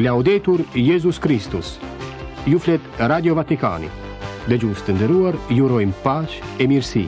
Laudetur Jezus Kristus. Ju flet Radio Vatikani. Dëgjues të nderuar, ju urojmë paqe e mirësi.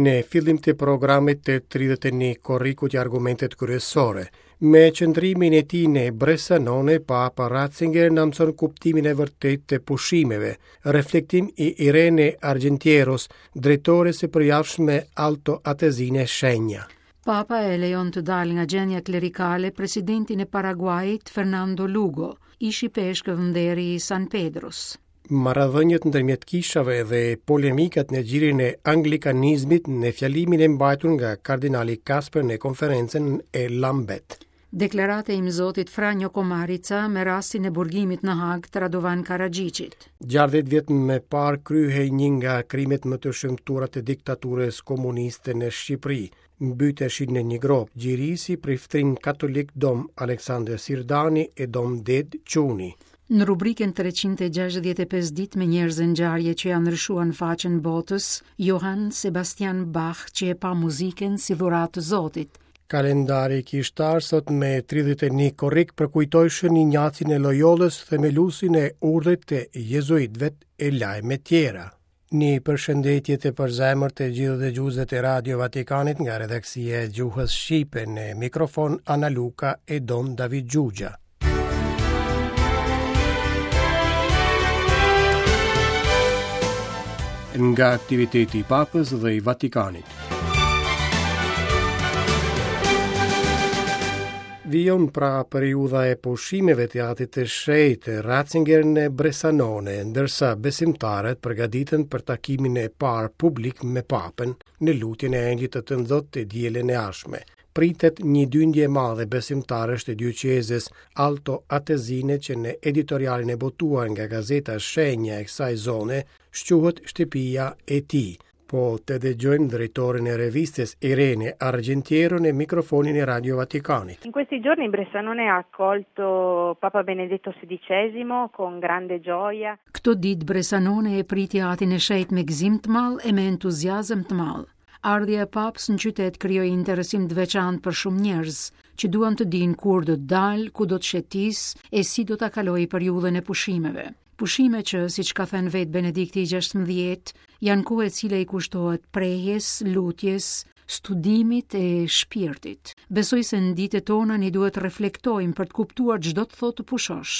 Në fillim të programit të 31 korrikut ja argumentet kryesore. Me qëndrimin e tij në Bressanone, Papa Ratzinger na mëson kuptimin e vërtetë të pushimeve. Reflektim i Irene Argentieros, drejtores së përjavshme Alto Atesine Shenja. Papa e lejon të dalë nga gjendja klerikale presidentin e Paraguajit, Fernando Lugo, ish ipeshkëv nderi i San Pedros. Marrëdhëniet ndërmjet kishave dhe polemikat në gjirin e anglikanizmit në fjalimin e mbajtur nga kardinali Kasper në konferencën e Lambeth. Deklarata e imzotit Franjo Komarica me rastin e burgimit në Hagë të Radovan Karaxhiqit. 60 vjet më parë kryhej një nga krimet më të shëmtuara të diktaturës komuniste në Shqipëri. Mbyteshin në një gropë gjiri priftërinjtë katolikë Dom Aleksandër Sirdani e Dom Ded Çuni. Në rubrikën 365 ditë me njerëz e ngjarje që ia ndryshuan faqen botës, Johann Sebastian Bach që e pa muzikën si dhuratë të Zotit. Kalendari kishtar sot me 31 korrik përkujtoi Shën Injacin e Loyolës, themeluesin e urdhrit të jezuitëve e lajme tjera. Një përshëndetje të përzemërt të gjithë dëgjuesve të Radio Vatikanit nga redaksia e gjuhës shqipe në mikrofon Ana Luka e Don David Xhuxha. Nga aktiviteti i Papës dhe i Vatikanit. Vijon pra periudha e pushimeve të Atit të Shenjtë Ratzinger në Bressanone, ndërsa besimtarët përgatiten për takimin e parë publik me Papën në lutjen e Engjëllit të Tënzot të dielën e ardhshme. Pritet një dyndje e madhe besimtarësh të dioqezës Alto Atesine që në editorialin e botuar nga gazeta Shenja e kësaj zone shquhet shtëpia e tij. Po të dëgjojmë drejtorin e revistës Irene Argentiero në mikrofonin e Radio Vatikanit. In questi giorni Bressanone ha accolto Papa Benedetto XVI con grande gioia. Këto ditë Bressanone e priti Atin e Shenjtë me gëzim të madh e me entuziazëm të madh. Ardhja e Papës në qytet krijoi interesim të veçantë për shumë njerëz, që duan të dinë kur do të dalë, ku do të shëtisë e si do ta kalojë periudhën e pushimeve. Pushime që, siç ka thënë vetë Benedikti i 16, janë kohë e cila i kushtohet prehjes, lutjes, studimit e shpirtit. Besoj se në ditët tona ne duhet të reflektojmë për të kuptuar ç'do të thotë të pushosh.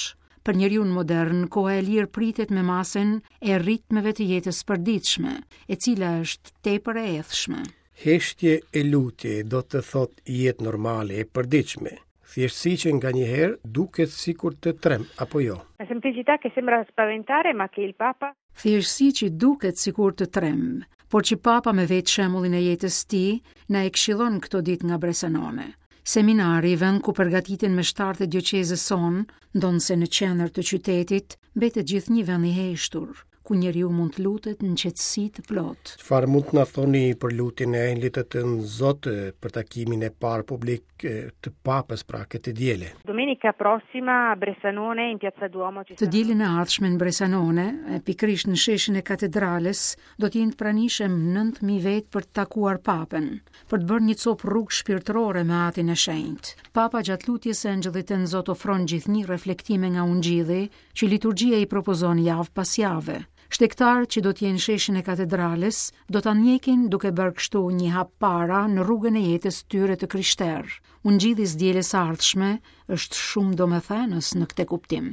Për njeriun modern, koha e lirë pritet me masën e ritmeve të jetës përditshme, e cila është tepër e ethshme. Heshtje e lutje do të thotë jetë normale e përditshme. Thjeshtësi që nganjëherë duket sikur të tremb, apo jo? Una semplicità che sembra spaventare, ma che il Papa Thjeshtësi që duket sikur të tremb, por që Papa me vetë shembullin e jetës tij na e këshillon këto ditë nga Bressanone. Seminari, vend ku përgatiten meshtarët e dioqezës sonë, ndonëse në qendër të qytetit, mbetet gjithnjë vend i heshtur, ku njeriu mund të lutet në qetësi të plotë. Çfarë mund të na thoni për lutjen e Engjëllit të Tënzot për takimin e parë publik të Papës pra këtë të diele? Domenica prossima a Bressanone in Piazza Duomo ci Të dielën e ardhshme në Bressanone, pikërisht në sheshin e katedrales, do të jenë të pranishëm 9000 vetë për të takuar Papën. për të bërë një copë rrugë shpirtërore me Atin e Shenjtë. Papa gjatë lutjes së Engjëllit Tënzot ofron gjithnjë reflektime nga Ungjilli, që liturgjia i propozon javë pas jave. Shtegtarët që do të jenë në sheshin e katedrales do ta ndjekin duke bërë kështu një hap para në rrugën e jetës së tyre të krishterë. Ungjilli i së dielës së ardhshme është shumë domethënës në këtë kuptim.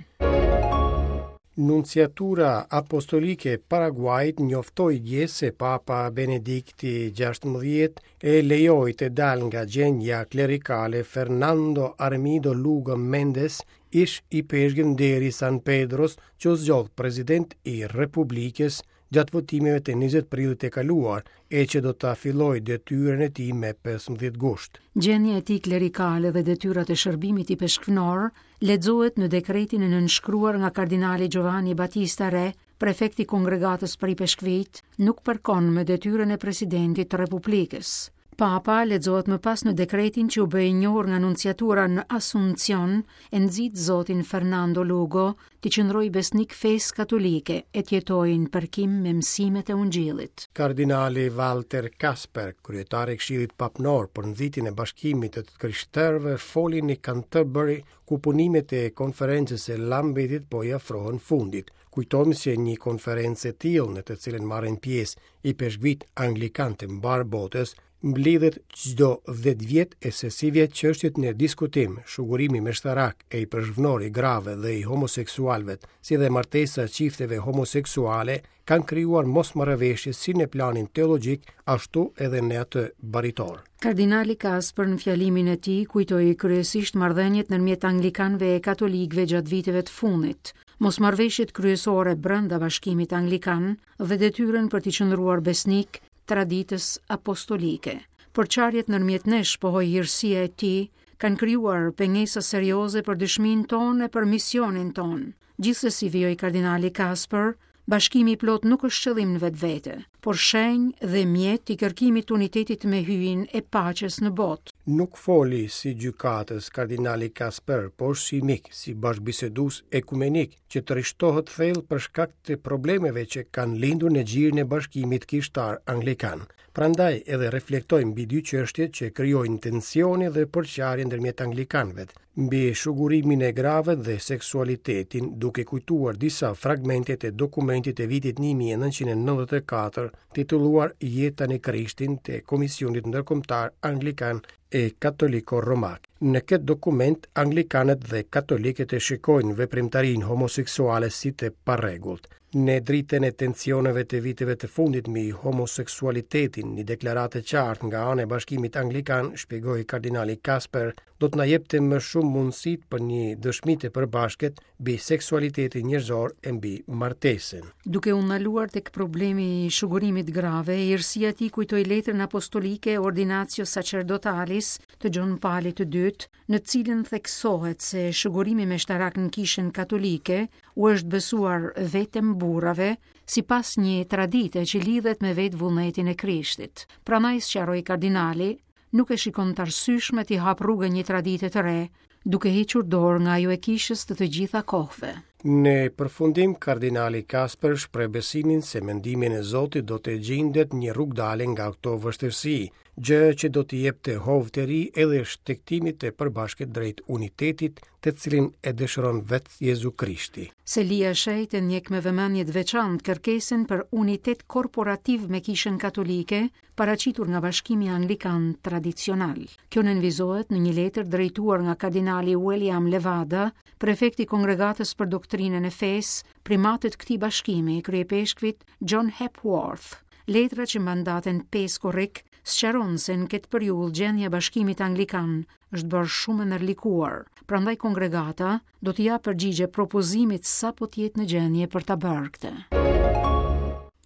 Nunciatura Apostolike e Paraguajit njoftoi dje se Papa Benedikti XVI e lejoi të dalë nga gjendja klerikale Fernando Armido Lugo Mendez, ish ipeshkëv nderi i San Pedros, që u zgjodh president i Republikës gjatë votimeve të 20 prillit të kaluar e që do ta fillojë detyrën e tij me 15 gusht. Gjendja e tij klerikale dhe detyrat e shërbimit ipeshkvnor lexohet në dekretin e nënshkruar nga kardinali Giovanni Battista Re, prefekt i Kongregatës për Ipeshkvijtë, nuk përkon me detyrën e presidentit të Republikës. Papa, lexohet më pas në dekretin që u bë i njohur nga nunciatura në Asuncion, e nxit zotin Fernando Lugo t'i qëndrojë besnik fesë katolike e të jetojë në përkim me mësimet e Ungjillit. Kardinali Walter Kasper, kryetar i Këshillit Papnor për nxitjen e bashkimit të të krishterëve, foli në Canterbury, ku punimet e konferencës së Lambethit po i afrohen fundit. Kujtojmë se një konferencë e tillë në të cilën marrin pjesë ipeshkvijtë anglikanë të mbarë botës, mblidhet çdo 10 vjet e se sivjet çështjet në diskutim, shugurimi meshtarak e i përshvnor i grave dhe i homoseksualëve, si dhe martesa e çifteve homoseksuale, kanë krijuar mosmarrëveshje si në planin teologjik, ashtu edhe në atë baritor. Kardinali Kasper në fjalimin e tij kujtoi kryesisht marrëdhëniet ndërmjet anglikanëve e katolikëve gjatë viteve të fundit, mosmarrëveshjet kryesore brenda Bashkimit Anglikan dhe detyrën për t'i qëndruar besnik traditës apostolike. Përçarjet ndërmjet nesh, pohoi hirësia e tij, kanë krijuar pengesa serioze për dëshminë tonë e për misionin tonë. Gjithsesi, vijoi kardinali Kasper, bashkimi i plotë nuk është qëllim në vetvete, por shenjë dhe mjet i kërkimit të unitetit me Hyjin e paqes në botë. Nuk foli si gjykatës kardinali Kasper, por si mik, si bashkëbisedues ekumenik, që trishtohet thellë për shkak të problemeve që kanë lindur në gjirin e bashkimit kishtar anglikan. Prandaj edhe reflektoi mbi dy çështje që krijojnë tensione dhe përçarje ndërmjet anglikanëve, mbi shugurimin e grave dhe seksualitetin, duke kujtuar disa fragmente të dokumentit të vitit 1994, titulluar Jeta në Krishtin të Komisionit Ndërkombëtar Anglikan e Katoliko Romak. Në këtë dokument, anglikanët dhe katolikët e shikojnë veprimtarinë homoseksuale si të parregullt. Në dritën e tensioneve të viteve të fundit mbi homoseksualitetin, një deklaratë e qartë nga ana e Bashkimit Anglikan, shpjegoi kardinali Kasper, do të na jepte më shumë mundësitë për një dëshmi të përbashkët mbi seksualitetin njerëzor e mbi martesën. Duke u ndaluar tek problemi i shugurimit grave, hirësia e tij kujtoi letrën apostolike Ordinatio Sacerdotalis të Gjon Palit të Dytë, në të cilën theksohet se shugurimi meshtarak në Kishën Katolike u është besuar vetëm burrave, sipas një tradite që lidhet me vetë vullnetin e Krishtit. Prandaj sqaroi kardinali, nuk e shikon të arsyeshme t'i hapë rrugën një tradite të re, duke hequr dorë nga ajo e kishës të të gjitha kohëve. Në përfundim, kardinali Kasper shpreh besimin se me ndihmën e Zotit do të gjindet një rrugëdalje nga këto vështirësi, gjë që do t'i jepte hov të ri edhe shtegtimit të përbashkët drejt unitetit, të cilin e dëshiron vetë Jezu Krishti. Selia e Shenjtë e ndjek me vëmendje të veçantë kërkesën për unitet korporativ me Kishën Katolike, paraqitur nga Bashkimi Anglikan Tradicional. Kjo nënvizohet në një letër drejtuar nga kardinali William Levada, prefekt i Kongregatës për Doktrinën e Fesë, primatit të këtij bashkimi, kryeipeshkvit John Hepworth. Letra që mban datën 5 korrik sqaron se në këtë periudhë gjendja e Bashkimit Anglikan është bërë shumë e ndërlikuar, prandaj kongregata do t'i japë përgjigje propozimit sapo të jetë në gjendje për ta bërë këtë.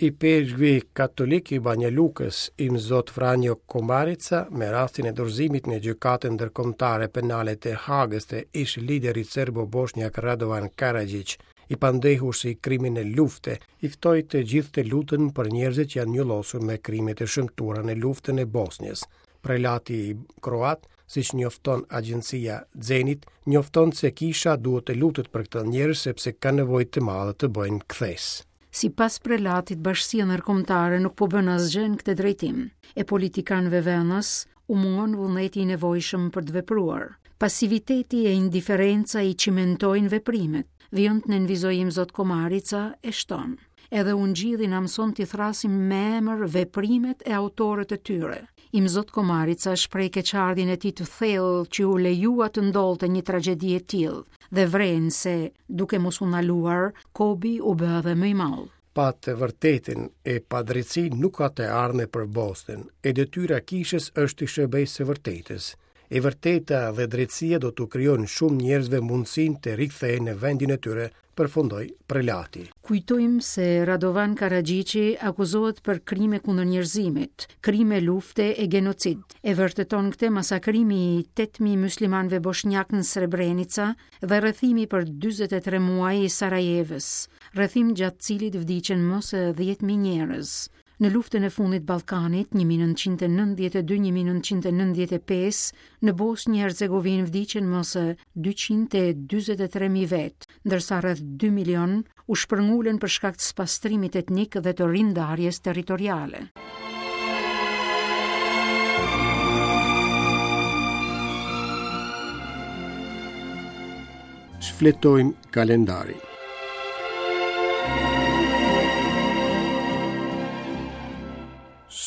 Ipeshkvi katolik i Banja Lukës, Imzot Franjo Komarica, me rastin e dorëzimit në Gjykatën Ndërkombëtare Penale të Hagës të ish-liderit serbo-boshnjak Radovan Karaxhiq, i pandehur si kriminel lufte, i ftoi të gjithë të luten për njerëzit që janë njollosur me krimet e shëmtuara në luftën e Bosnjës. Prelati kroat, siç njofton agjencia Zenit, njofton se kisha duhet të lutet për këta njerëz sepse kanë nevojë të madhe të bëjnë kthesë. Sipas prelatit, bashkësia ndërkombëtare nuk po bën asgjë në këtë drejtim. E politikanëve vendas u mungon vullneti i nevojshëm për të vepruar. Pasiviteti e indiferenca i çimentojnë veprimet, vijon të nënvizojë Imzot Komarica e shton. Edhe Ungjilli na mëson t'i thërrasim me emër veprimet e autorët e tyre. Imzot Komarica shpreh keqardhjen e tij të thellë që u lejua të ndodhte një tragjedi e tillë dhe vren se, duke mos u ndaluar, kobi u bë edhe më i madh. Pa të vërtetën e pa drejtësi nuk ka të ardhme për Bosnjën, e detyra e kishës është t'i shërbejë së vërtetës. E vërteta dhe drejtësia do t'u krijojnë shumë njerëzve mundësinë të rikthehen në vendin e tyre, përfundoi prelati. Kujtojmë se Radovan Karaxhiqi akuzohet për krime kundër njerëzimit, krime lufte e gjenocid. E vërteton këtë masakrimi i 8000 myslimanëve boshnjakë në Srebrenica dhe rrethimi për 43 muaj i Sarajevës, rrethim gjatë të cilit vdiqën më se 10000 njerëz. Në luftën e fundit Ballkanit, 1992-1995, në Bosnjë Hercegovinë vdiqën më se 243.000 vetë, ndërsa rreth 2 milion u shpërngulën për shkak të spastrimit etnik dhe të rindarjes territoriale. Shfletojmë kalendarin.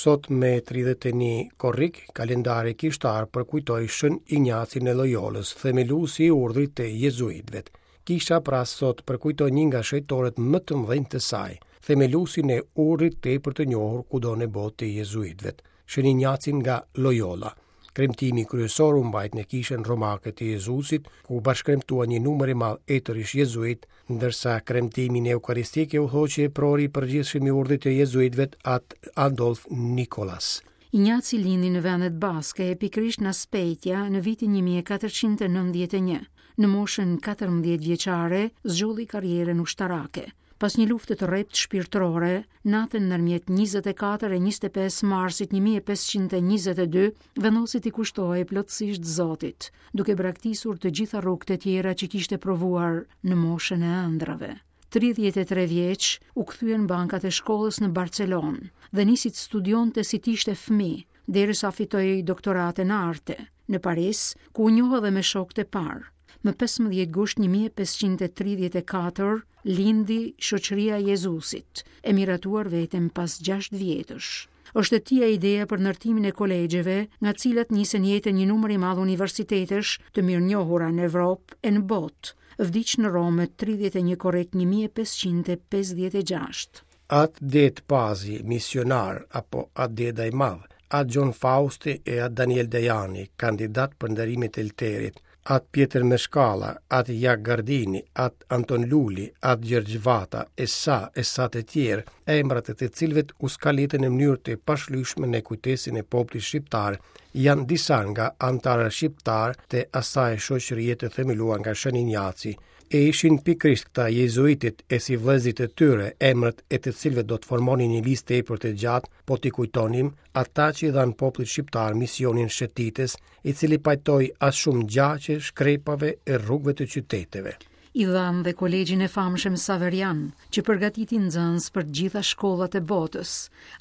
Sot me 31 korrik, kalendari kishtar përkujtoi Shën Injacin e Lojolës, themeluesi i urdhrit të jezuitëve. Kisha pra sot përkujton një nga shenjtorët më të mëdhenj të saj, themeluesin e urdhrit tepër të njohur kudo në botë të jezuitëve, Shën Injacin nga Lojola. Kremtimi kryesor u mbajt në kishën romake të Jezusit, ku bashkëkremtuan një numër i madh etërish jezuitë, ndërsa kremtimin eukaristik e udhëhoqi eprori i përgjithshëm i urdhrit të jezuitëve At Adolf Nikolas. Injaci lindi në vendet baske, pikërisht në Azpeitia, në vitin 1491. Në moshën 14 vjeçare, zgjodhi karrierën ushtarake. Pas një lufte të rreptë shpirtërore, natën ndërmjet 24 e 25 marsit 1522, vendosi t'i kushtohej plotësisht Zotit, duke braktisur të gjitha rrugët e tjera që kishte provuar në moshën e ëndrrave. 33 vjeç, u kthye në bankat e shkollës në Barcelonë dhe nisi të studionte si të ishte fëmijë, derisa fitoi doktoratën në arte, në Paris, ku u njoh edhe me shokët e parë. Më 15 gusht 1534 lindi Shoqëria e Jezusit, e miratuar vetëm pas 6 vjetësh. Është e tija ideja për ndërtimin e kolegjeve, nga të cilat nisën jetën një numër i madh universitetesh të mirënjohura në Evropë e në botë. Vdiq në Romë më 31 korrik 1556. At Dedë Pazi, misionar, apo At Deda i Madh, At Gjon Fausti e At Daniel Dajani, kandidat për nderimet e Elterit, At Pjetër Meshkalla, At Jak Gardini, At Anton Luli, At Gjergj Vata, e sa e sa të tjerë, emrat e të cilëve u skalitën në mënyrë të pashlyeshme në kujtesën e popullit shqiptar, janë disa nga anëtarët shqiptarë të asaj shoqërie të themeluar nga Shën Injaci, E ishin pikërisht këta jezuitët e sivëllezërit e tyre, emrat e të cilëve do të formonin një listë tepër të gjatë, po t'i kujtonim, ata që i dhanë popullit shqiptar misionin shëtitës, i cili pajtoi aq shumë gjaqe shkrepave e rrugëve të qyteteve. I dhanë dhe kolegjin e famshëm Saverian, që përgatiti nxënës për të gjitha shkollat e botës,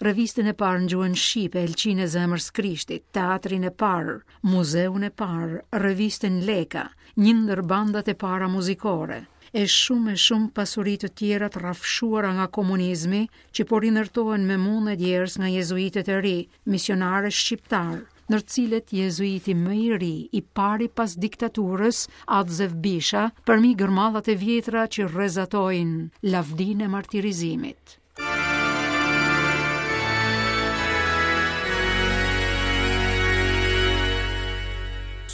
revistën e parë në gjuhën shqipe, Elqinë e Zemrës Krishtit, teatrin e parë, muzeun e parë, revistën Leka, një ndër bandat e para muzikore, e shumë e shumë pasuri të tjera të rrafshuara nga komunizmi që po rindërtohen me mund e djersë nga jezuitët e ri, misionarë shqiptarë, ndër të cilët jezuiti më i ri, i pari pas diktaturës, At Zef Bisha, përmi gërmadhat e vjetra që rrezatojnë lavdinë e martirizimit.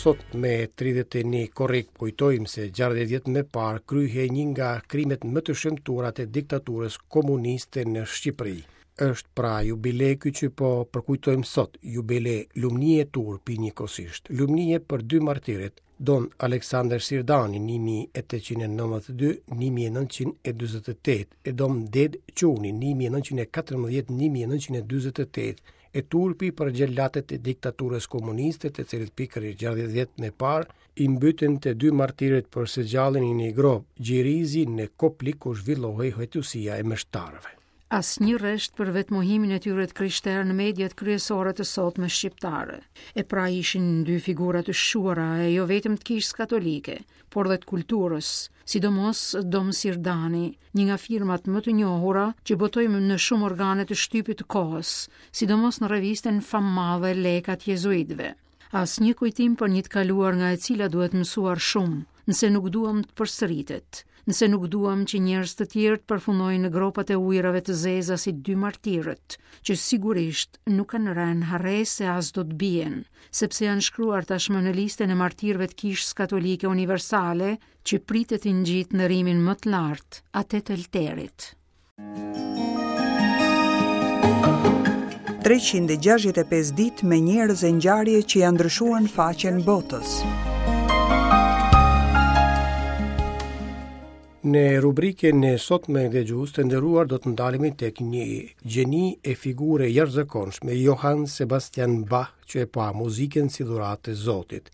Sot me 31 korrik kujtojmë se 60 vjet më parë kryhej një nga krimet më të shëmtuara të diktaturës komuniste në Shqipëri. Është pra jubile ky që po përkujtojmë sot, jubile lumnie e turpi njëkohësisht. Lumnie për dy martirët, Don Aleksandër Sirdani 1892-1948 e Dom Dedë Çuni 1914-1948 e turpi për xhelatët e diktaturës komuniste të cilët pikërisht 60 vjet më parë i mbytën të dy martirët për së gjalli në një gropë gjirizi në Koplik ku zhvillohej hetusia e meshtarëve. Asnjë rresht për vetëmohimin e tyre të krishterë në mediat kryesore të sotme shqiptare. E pra ishin dy figura të shquara e jo vetëm të kishës katolike, por dhe të kulturës, sidomos Dom Sirdani, një nga firmat më të njohura që botoi në shumë organe të shtypit të kohës, sidomos në revistën famëmadhe Leka të jezuitëve. Asnjë kujtim për një të kaluar nga e cila duhet mësuar shumë, nëse nuk duam të përsëritet, nëse nuk duam që njerëz të tjerë të përfundojnë në gropat e ujërave të zeza si dy martirët, që sigurisht nuk kanë rënë në harresë e as do të bien, sepse janë shkruar tashmë në listën e martirëve të Kishës Katolike Universale, që pritet t'i ngjitë nderimin më të lartë, atë të Elterit. 365 ditë me njerëz e ngjarje që ia ndryshuan faqen botës. Në rubrikën e sotme dëgjues të nderuar do të ndalemi tek një gjeni e figurë e jashtëzakonshme Johann Sebastian Bach që e pa muzikën si dhuratë të Zotit.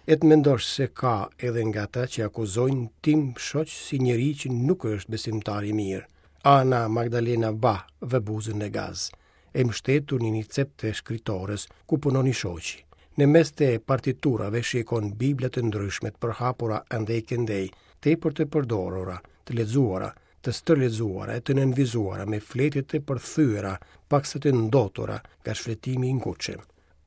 E të mendosh se ka edhe nga ata që akuzojnë tim shoq si njeri që nuk është besimtar i mirë. Anna Magdalena Bach vë buzën në gaz. E mbështetur në një cep të shkritores, ku punon i shoqi. Në mes të partiturave shikon bibla të ndryshme të përhapura andej këndej, tepër të përdorura, të lexuara, të stërlexuara e të nënvizuara me fletë të përthyera, paksa të ndotura nga shfletimi i ngutshëm.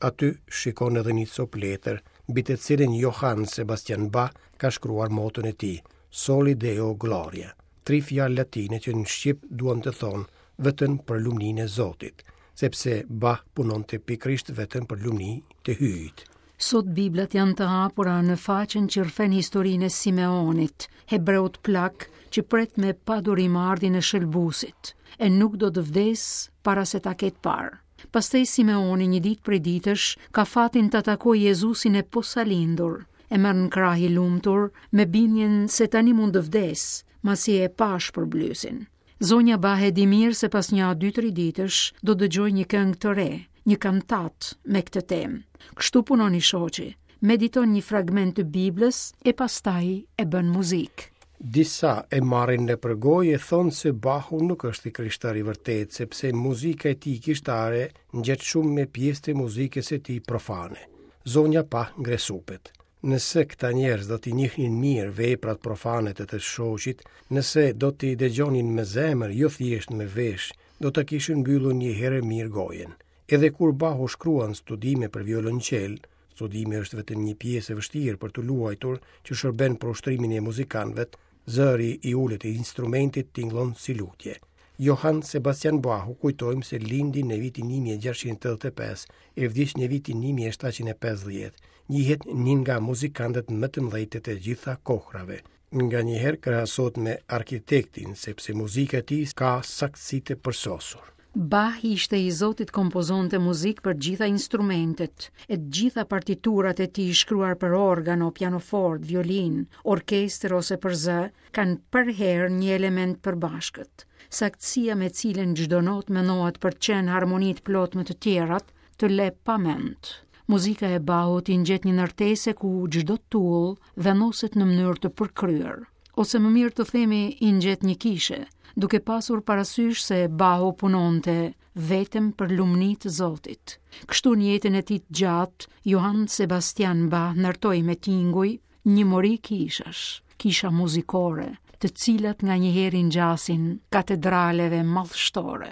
Aty shikon edhe një copë letër, mbi të cilën Johann Sebastian Bach ka shkruar moton e tij, Soli Deo Gloria. Tri fjalë latine që në shqip duan të thonë vetëm për lumninë e Zotit, sepse Bach punonte pikërisht vetëm për lumni të Hyjit. Sot Biblat janë të hapura në faqen që rrëfen historinë e Simeonit, hebreut plak që pret me padurim ardhjen e shëlbuesit, e nuk do të vdesë para se ta ketë parë. Pastaj Simeoni një ditë prej ditësh ka fatin ta takojë Jezusin e posalindur, e merr në krahë i lumtur me bindjen se tani mund të vdesë, masi e pa shpërblyesin. Zonja Bach e di mirë se pas nja dy-tri ditësh do dëgjojë një këngë të re, një kantatë me këtë temë. Kështu punon i shoqi, mediton një fragment të Biblës e pastaj e bën muzikë. Disa e marrin nëpër gojë e thonë se Bahu nuk është i krishterë i vërtetë, sepse muzika e tij kishtare ngjet shumë me pjesë të muzikës së tij profane. Zonja Bach ngre supet. Nëse këta njerëz do t'i njihnin mirë veprat profane të të shoqit, nëse do t'i dëgjonin me zemër, jo thjesht me veshë, do ta kishin mbyllur një herë e mirë gojën. Edhe kur Bahu shkruan studime për violonçel, studimi është vetëm një pjesë e vështirë për t'u luajtur që shërben për ushtrimin e muzikantëve, zëri i ulët i instrumentit tingëllon si lutje. Johann Sebastian Bahu kujtojmë se lindi në vitin 1685 e vdiq në vitin 1750, njihet një nga muzikantët më të mëdhenj të të gjitha kohrave. Nganjëherë krahasohet me arkitektin, sepse muzika e tij ka saktësi të përsosur. Bach ishte i zoti të kompozonte muzikë për të gjitha instrumentet, e të gjitha partiturat e tij shkruar për organo, pianofort, violinë, orkestër ose për zë, kanë përherë një element të përbashkët. Saktësia me cilën çdo notë mendohet për të qenë harmoni të plotë me të tjerat, të le pa mend. Muzika e Bahut i ngjet një ndërtese ku çdo tullë vendoset në mënyrë të përkryer. Ose më mirë të themi i ngjet një kishe, duke pasur parasysh se Bahu punonte vetëm për lumni të Zotit. Kështu në jetën e tij të gjatë, Johann Sebastian Bach ndërtoi me tinguj një mori kishash, kisha muzikore, të cilat nganjëherë i ngjasin katedraleve madhështore.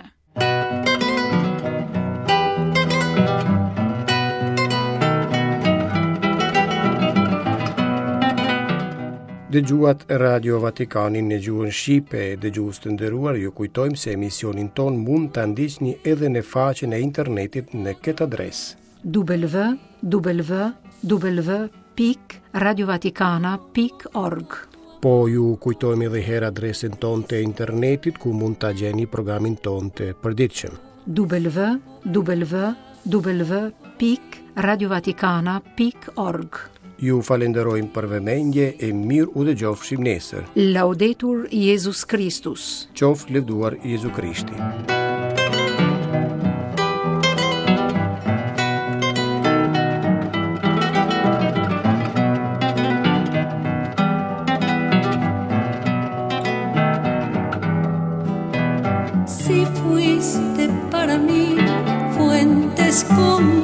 Dëgjuat Radio Vatikanin në gjuhën shqipe, dëgjues të nderuar, ju kujtojmë se emisionin tonë mund ta ndiqni edhe në faqen e internetit në këtë adresë. www pikë radiovatikana pikë org. Po ju kujtojmë edhe herë adresën tonë të internetit ku mund ta gjeni programin tonë të përditshëm. www pikë radiovatikana pikë org. Ju falenderojmë për vëmendje e mirë u dëgjofshim nesër. Laudetur Jezus Kristus. Qoftë lëvduar Jezu Krishti. Si fuiste para mí fuente escondida.